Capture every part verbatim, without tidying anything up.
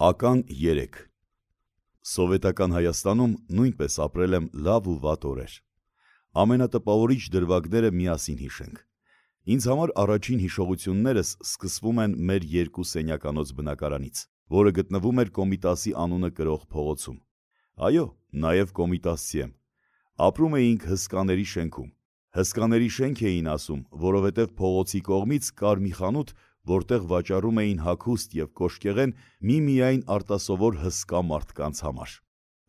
Ական երեք Սովետական Հայաստանում նույնպես ապրել եմ լավ ու վատ օրեր։ Ամենատպավորիչ դրվագները միասին հիշենք։ Ինձ համար առաջին հիշողություններս սկսվում են մեր երկու սենյականոց բնակարանից, որը գտնվում էր Կոմիտասի անունը կրող փողոցում։ Այո, նաև կոմիտասցի եմ։ Ապրում էինք հսկաների շենքում։ Հսկաների շենք էին ասում, որովհետև փողոցի կողմից կար մի խանութ, որտեղ վաճառում էին հագուստ և կոշկեղեն միմիայն արտասովոր հսկա մարդկանց համար։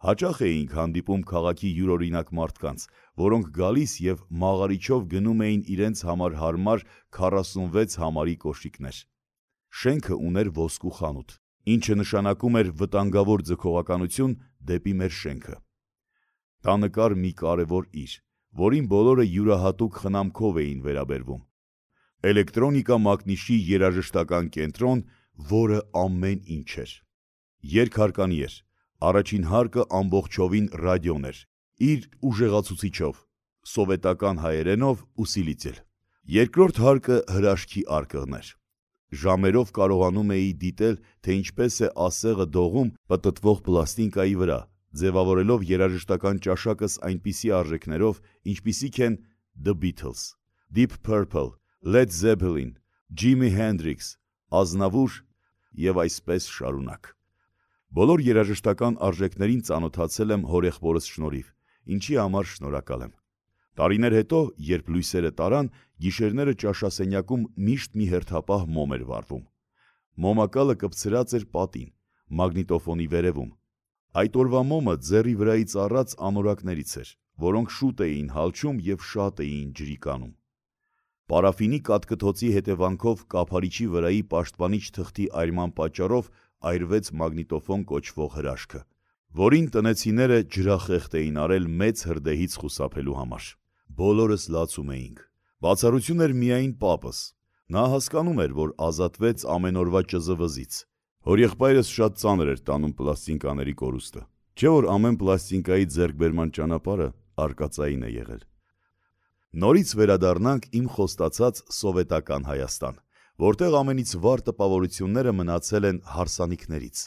Հաճախ էինք հանդիպում քաղաքի յուրօրինակ մարդկանց, որոնք գալիս և մաղարիչով գնում էին իրենց համար հարմար քառասունվեց համարի կոշիկներ։ Շենքը ուներ ոսկու խանութ, ինչը նշանակում էր վտանգավոր ձգողականություն դեպի մեր շենքը։ Տանը կար մի կարևոր իր, որին բոլորը յուրահատուկ խնամքով էին վերաբերվում։ Էլեկտրոնիկա մակնիշի երաժշտական կենտրոն, որը ամեն ինչ էր։ Երկհարկանի էր, առաջին հարկը ամբողջովին ռադիոն էր, իր ուժեղացուցիչով, սովետական հայերենով ու սիլիցիլ։ Երկրորդ հարկը հրաշքի արկղն էր։ Ժամերով կարողանում էի դիտել, թե ինչպես է ասեղը դողում պտտվող պլաստինկայի վրա, ձևավորելով երաժշտական ճաշակս այնպիսի արժեքներով, ինչպիսիք են The Beatles, Deep Purple, Led Zeppelin, Jimi Hendrix, Ազնավուր և այսպես շարունակ։ Բոլոր երաժշտական արժեքներին ծանոթացել եմ հորեղբորս շնորհիվ, ինչի համար շնորհակալ եմ։ Տարիներ հետո, երբ լույսերը տարան, գիշերները ճաշասենյակում միշտ մի հերթապահ մոմ էր վառվում։ Մոմակալը կպցրած էր պատին, մագնիտոֆոնի վերևում։ Այդ օրվա մոմը ձեռի վրայից առած անորակներից էր, որոնք շուտ էին հալչում և շատ էին ջրի կանում։ Պարաֆինի կաթկթոցի հետևանքով կափարիչի վրայի պաշտպանիչ թղթի այրման պատճառով այրվեց մագնիտոֆոն կոչվող հրաշքը, որին տնեցիները ջրախեղտ էին արել մեծ հրդեհից խուսափելու համար։ Բոլորս լացում էինք։ Բացառություն էր միայն պապս։ Նա հասկանում էր, որ ազատվեց ամեն օրվա ճզվզից։ Հորեղբայրս շատ ծանր էր տանում պլաստինկաների կորուստը, չէ՞ որ ամեն պլաստինկայի ձեռքբերման ճանապարհը արկածային է եղել։ Նորից վերադառնանք իմ խոստացած սովետական Հայաստան, որտեղ ամենից վառ տպավորությունները մնացել են հարսանիքներից։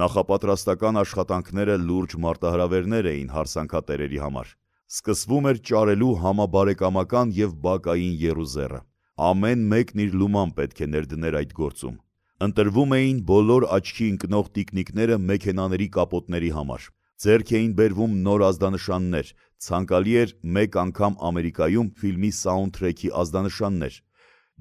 Նախապատրաստական աշխատանքները լուրջ մարտահրավերներ էին հարսանքատերերի համար։ Սկսվում էր ճարելու համաբարեկամական և բակային եռուզեռը։ Ամեն մեկն իր լուման պետք է ներդներ այդ գործում։ Ընտրվում էին բոլոր աչքի ընկնող տիկնիկները մեքենաների կապոտների համար։ Ձեռք էին բերվում նոր ազդանշաններ, ցանկալի էր մեկ անգամ Ամերիկայում ֆիլմի սաունդթրեքի ազդանշաններ։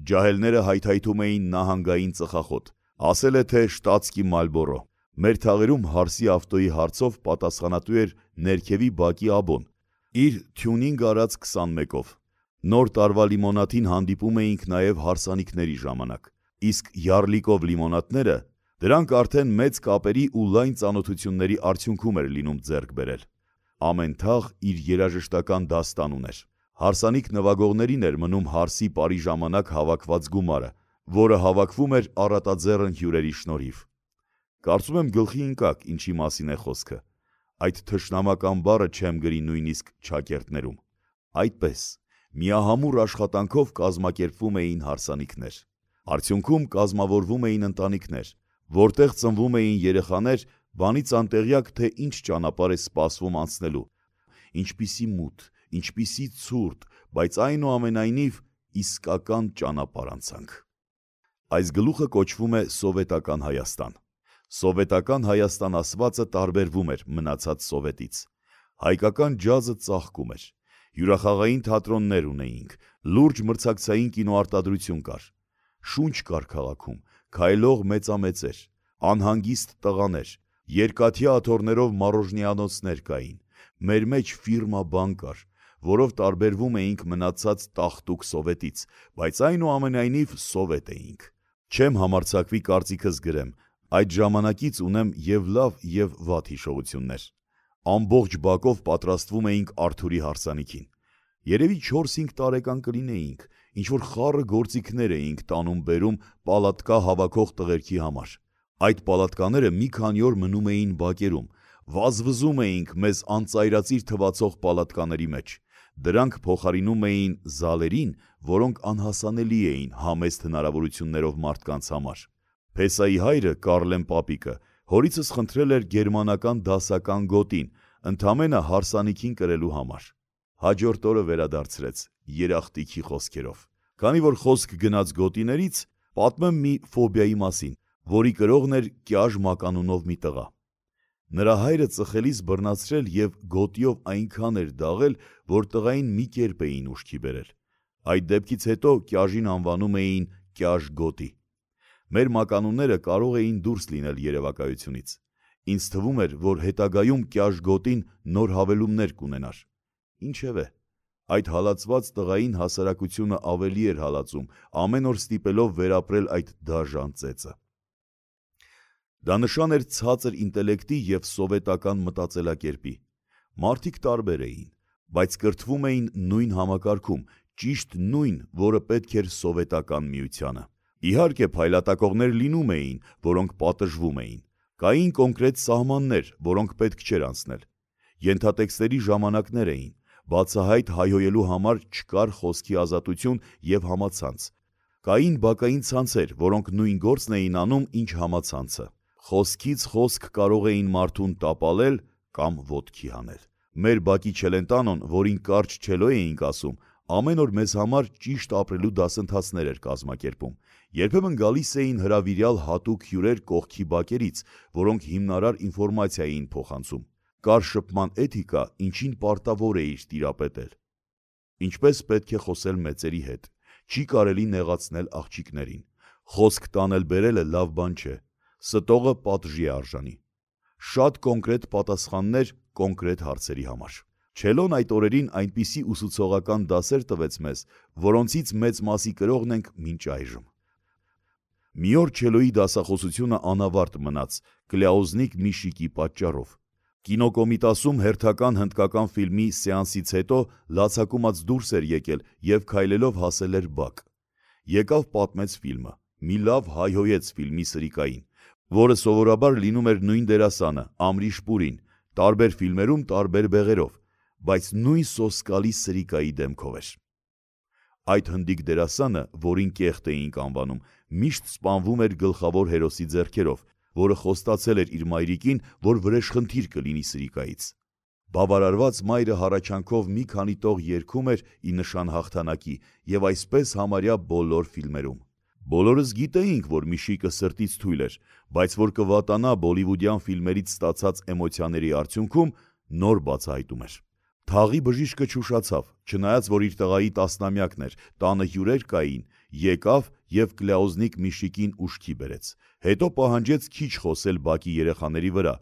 Ջահելները հայթայթում էին նահանգային ծխախոտ, ասել է թե շտատսկի Մալբորո։ Մեր թաղերում հարսի ավտոյի հարցով պատասխանատու էր ներքևի բակի աբոն, իր թյունինգ արած քսանմեկով։ Նոր տարվա լիմոնադին հանդիպում էինք նաև հարսանիքների ժամանակ, իսկ յառլիկով լիմոնադները, դրանք արդեն մեծ կապերի ու լայն ծանոթությունների արդյունքում էր լինում ձեռք բերել։ Ամեն թաղ իր երաժշտական դաստան ուներ։ Հարսանիք նվագողներին էր մնում հարսի պարի ժամանակ հավաքված գումարը, որը հավաքվում էր առատաձեռն հյուրերի շնորհիվ։ Կարծում եմ գլխի ընկաք, ինչի մասին է խոսքը։ Այդ թշնամական բառը չեմ գրի նույնիսկ չակերտներում։ Այդպես, միահամուռ աշխատանքով կազմակերպվում էին հարսանիքներ։ Արդյունքում կազմավորվում էին ընտանիքներ, որտեղ ծնվում էին երեխաներ, բանից անտեղյակ, թե ինչ ճանապարհ է սպասվում անցնելու։ Ինչպիսի մութ, ինչպիսի ցուրտ, բայց այնուամենայնիվ իսկական ճանապարհ անցանք։ Այս գլուխը կոչվում է Սովետական Հայաստան։ Սովետական Հայաստան ասվածը տարբերվում էր մնացած Սովետից։ Հայկական ջազը ծաղկում էր։ Հյուրախաղային թատրոններ ունեինք, լուրջ մրցակցային կինոարտադրություն կար։ Շունչ կար քաղաքում, քայլող մեծամեծեր, անհանգիստ տղաներ, երկաթյա աթոռներով մարոժնիանոցներ կային։ Մեր մեջ ֆիրմա բան կար, որով տարբերվում էինք մնացած տաղտուկ Սովետից, բայց այնուամենայնիվ Սովետ էինք։ Չեմ համարձակվի կարծիքս գրեմ, այդ ժամանակից ունեմ և լավ և վատ հիշողություններ։ Ամբողջ բակով պատրաստվում էինք Արթուրի հարսանիքին։ Երևի չորս-հինգ տարեկան կլինեինք, ինչ-որ խառը գործիքներ էինք տանում-բերում պալատկա հավաքող տղերքի համար։ Այդ պալատկաները մի քանի օր մնում էին բակերում, վազվզում էինք մեզ անծայրածիր թվացող պալատկաների մեջ։ Դրանք փոխարինում էին զալերին, որոնք անհասանելի էին համեստ հնարավորություններով մարդկանց համար։ Փեսայի հայրը՝ Կառլեն պապիկը, Հորիցս խնդրել էր գերմանական դասական գոտին, ընդամենը հարսանիքին կրելու համար։ Հաջորդ օրը վերադարձրեց երախտիքի խոսքերով։ Քանի որ խոսք գնաց գոտիներից, պատմեմ մի ֆոբիայի մասին, որի կրողն էր Կյաժ մականունով մի տղա։ Նրա հայրը ծխելիս բռնացրել և գոտիով այնքան էր դաղել, որ տղային մի կերպ էին ուշքի բերել։ Այդ դեպքից հետո Կյաժին անվանում էին Կյաժ գոտի։ Մեր մականունները կարող էին դուրս լինել երևակայությունից։ Ինձ թվում էր, որ հետագայում Կյաժ գոտին նոր հավելումներ կունենար։ Ինչևէ, այդ հալածված տղային հասարակությունը ավելի էր հալածում, ամեն օր ստիպելով վերապրել այդ դաժան ծեծը։ Դա նշան էր ցածր ինտելեկտի և սովետական մտածելակերպի։ Մարդիկ տարբեր էին, բայց կրթվում էին նույն համակարգում, ճիշտ նույն, որը պետք էր սովետական միությանը։ Իհարկե, փայլատակողներ լինում էին, որոնք պատժվում էին։ Կային կոնկրետ սահմաններ, որոնք պետք չէր անցնել։ Ենթատեքստերի ժամանակներ էին, բացահայտ հայհոյելու համար չկար խոսքի ազատություն և համացանց։ Կային բակային ցանցեր, որոնք նույն գործն էին անում, ինչ համացանցը։ Խոսքից խոսք կարող էին մարդուն տապալել կամ ոտքի հանել։ Մեր բակի Չելենտանոն, որին կարճ չելո էինք ասում, ամեն օր մեզ համար ճիշտ ապրելու դասընթացներ էր կազմակերպում։ Երբեմն գալիս էին հրավիրյալ հատուկ հյուրեր կողքի բակերից, որոնք հիմնարար ինֆորմացիա էին փոխանցում։ Կար շփման էթիկա, ինչին պարտավոր էիր տիրապետել։ Ինչպես պետք է խոսել մեծերի հետ։ Չի կարելի նեղացնել աղջիկներին։ Խոսք տանել-բերելը լավ բան չէ։ Ստողը պատժի է արժանի։ Շատ կոնկրետ պատասխաններ կոնկրետ հարցերի համար։ Չելոն այդ օրերին այնպիսի ուսուցողական դասեր տվեց մեզ, որոնցից մեծ մասի կրողն ենք մինչ այժմ։ Մի օր չելոյի դասախոսությունը անավարտ մնաց Կլյաուզնիկ Միշիկի պատճառով։ Կինոկոմիտասում հերթական հնդկական ֆիլմի սեանսից հետո լացակումած դուրս էր եկել և քայլելով հասել էր բակ։ Եկավ պատմեց ֆիլմը, մի լավ հայհոյեց ֆիլմի սրիկային, որը սովորաբար լինում էր նույն դերասանը, Ամրիշ Պուրին, տարբեր ֆիլմերում տարբեր բեղերով, բայց նույն սոսկալի սրիկայի դեմքով էր։ Այդ հնդիկ դերասանը, որին կեղտ էինք անվանում, միշտ սպանվում էր գլխավոր հերոսի ձեռքերով, որը խոստացել էր իր մայրիկին, որ վրեժխնդիր կլինի սրիկայից։ Բավարարված մայրը հառաչանքով մի քանի տող երգում էր ի նշան հաղթանակի և այսպես համարյա բոլոր ֆիլմերում։ Բոլորս գիտեինք, որ Միշիկը սրտից թույլ էր, բայց որ կվատանա բոլիվուդյան ֆիլմերից ստացած էմոցիաների արդյունքում, նոր բացահայտում էր։ Թաղի բժիշկը չուշացավ, չնայած որ իր տղայի տասնամյակն էր, տանը հյուրեր կային, եկավ և Կլյաուզնիկ Միշիկին ուշքի բերեց։ Հետո պահանջեց քիչ խոսել բակի երեխաների վրա,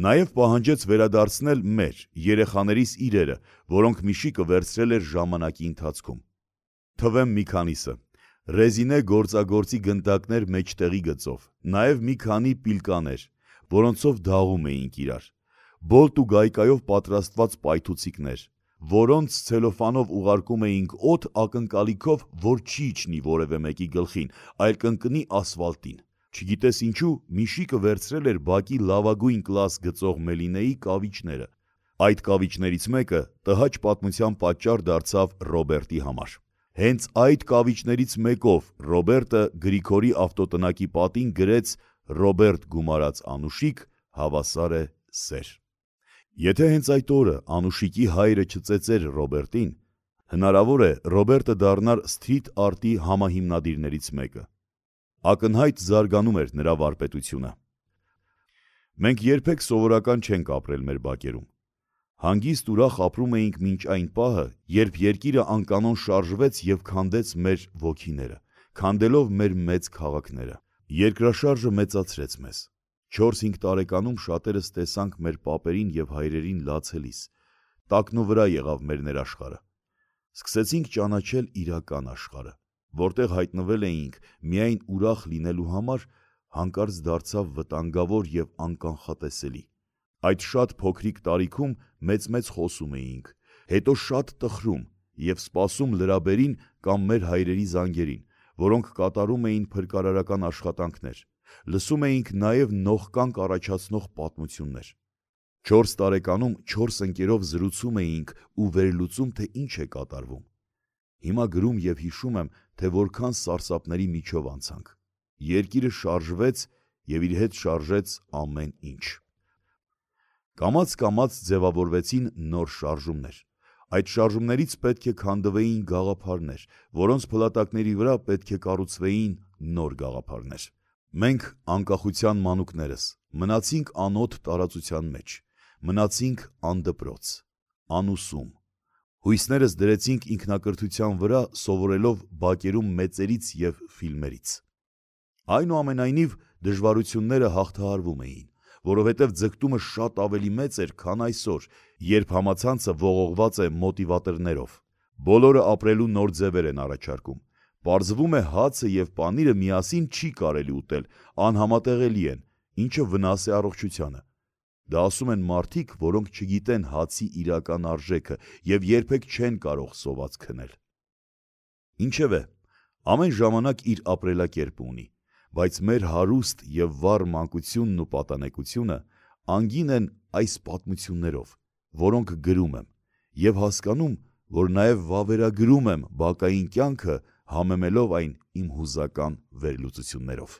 նաև պահանջեց վերադարձնել մեր, երեխաներիս իրերը, որոնք Միշիկը վերցրել էր ժամանակի ընթացքում։ Թվեմ մի քանիսը. ռեզինե գործագործի գնդակներ մեջտեղի գծով, նաև մի քանի պիլկաներ, որոնցով դաղում էինք իրար, բոլտ ու գայկայով պատրաստված պայթուցիկներ, որոնց ցելոֆանով ուղարկում էինք օդ ակնկալիքով, որ չի իջնի որևէ մեկի գլխին, այլ կընկնի ասֆալտին։ Չգիտես ինչու, Միշիկը վերցրել էր բակի լավագույն կլաս գծող Մելինեի կավիճները։ Այդ կավիճներից մեկը տհաճ պատմության պատճառ դարձավ Ռոբերտի համար։ Հենց այդ կավիճներից մեկով Ռոբերտը Գրիգորի ավտոտնակի պատին գրեց «Ռոբերտ գումարած Անուշիկ, հավասար է սեր»։ Եթե հենց այդ օրը Անուշիկի հայրը չծեծեր Ռոբերտին, հնարավոր է Ռոբերտը դառնար սթրիթ արտի համահիմնադիրներից մեկը։ Ակնհայտ զարգանում էր նրա վարպետությունը։ Մենք երբեք սովորական չենք ապրել մեր բակերում։ Հանգիստ ուրախ ապրում էինք մինչ այն պահը, երբ երկիրը անկանոն շարժվեց և քանդեց մեր ոգիները, քանդելով մեր մեծ քաղաքները։ Երկրաշարժը մեծացրեց մեզ։ Չորս-հինգ տարեկանում շատերս տեսանք մեր պապերին և հայրերին լացելիս։ Տակնու վրա եղավ մեր ներաշխարհը։ Սկսեցինք ճանաչել իրական աշխարհը, որտեղ հայտնվել էինք միայն ուրախ լինելու համար, հանկարծ դարձավ վտանգավոր և անկանխատեսելի։ Այդ շատ փոքրիկ տարիքում մեծ-մեծ խոսում էինք, հետո շատ տխրում և սպասում լրաբերին կամ մեր հայրերի զանգերին, որոնք կատարում էին փրկարարական աշխատանքներ, լսում էինք նաև նողկանք առաջացնող պատմություններ։ Չորս տարեկանում չորս ընկերով զրուցում էինք ու վերլուծում, թե ինչ է կատարվում։ Հիմա գրում և հիշում եմ, թե որքան սարսափների միջով անցանք։ Երկիրը շարժվեց և իր հետ շարժեց ամեն ինչ։ Կամաց-կամաց ձևավորվեցին նոր շարժումներ։ Այդ շարժումներից պետք է քանդվեին գաղափարներ, որոնց փլատակների վրա պետք է կառուցվեին նոր գաղափարներ։ Մենք անկախության մանուկներս մնացինք անոտ տարածության մեջ, մնացինք անդպրոց, անուսում։ Հույսներս դրեցինք ինքնակրթության վրա, սովորելով բակերում մեծերից և ֆիլմերից։ Այնուամենայնիվ դժվարությունները հաղթահարվում էին, որովհետև ձգտումը շատ ավելի մեծ էր, քան այսօր, երբ համացանցը ողողված է մոտիվատորներով։ Բոլորը ապրելու նոր ձևեր են առաջարկում։ Պարզվում է հացը և պանիրը միասին չի կարելի ուտել, անհամատեղելի են, ինչը վնաս է առողջությանը։ Դա ասում են մարդիկ, որոնք չգիտեն հացի իրական արժեքը և երբեք չեն կարող սոված քնել։ Ինչևէ, ամեն ժամանակ իր ապրելակերպը ունի, բայց մեր հարուստ և վառ մանկությունն ու պատանեկությունը անգին են այս պատմություններով, որոնք գրում եմ, և հասկանում, որ նաև վավերագրում եմ բակային կյանքը, համեմելով այն իմ հուզական վերլուծություններով։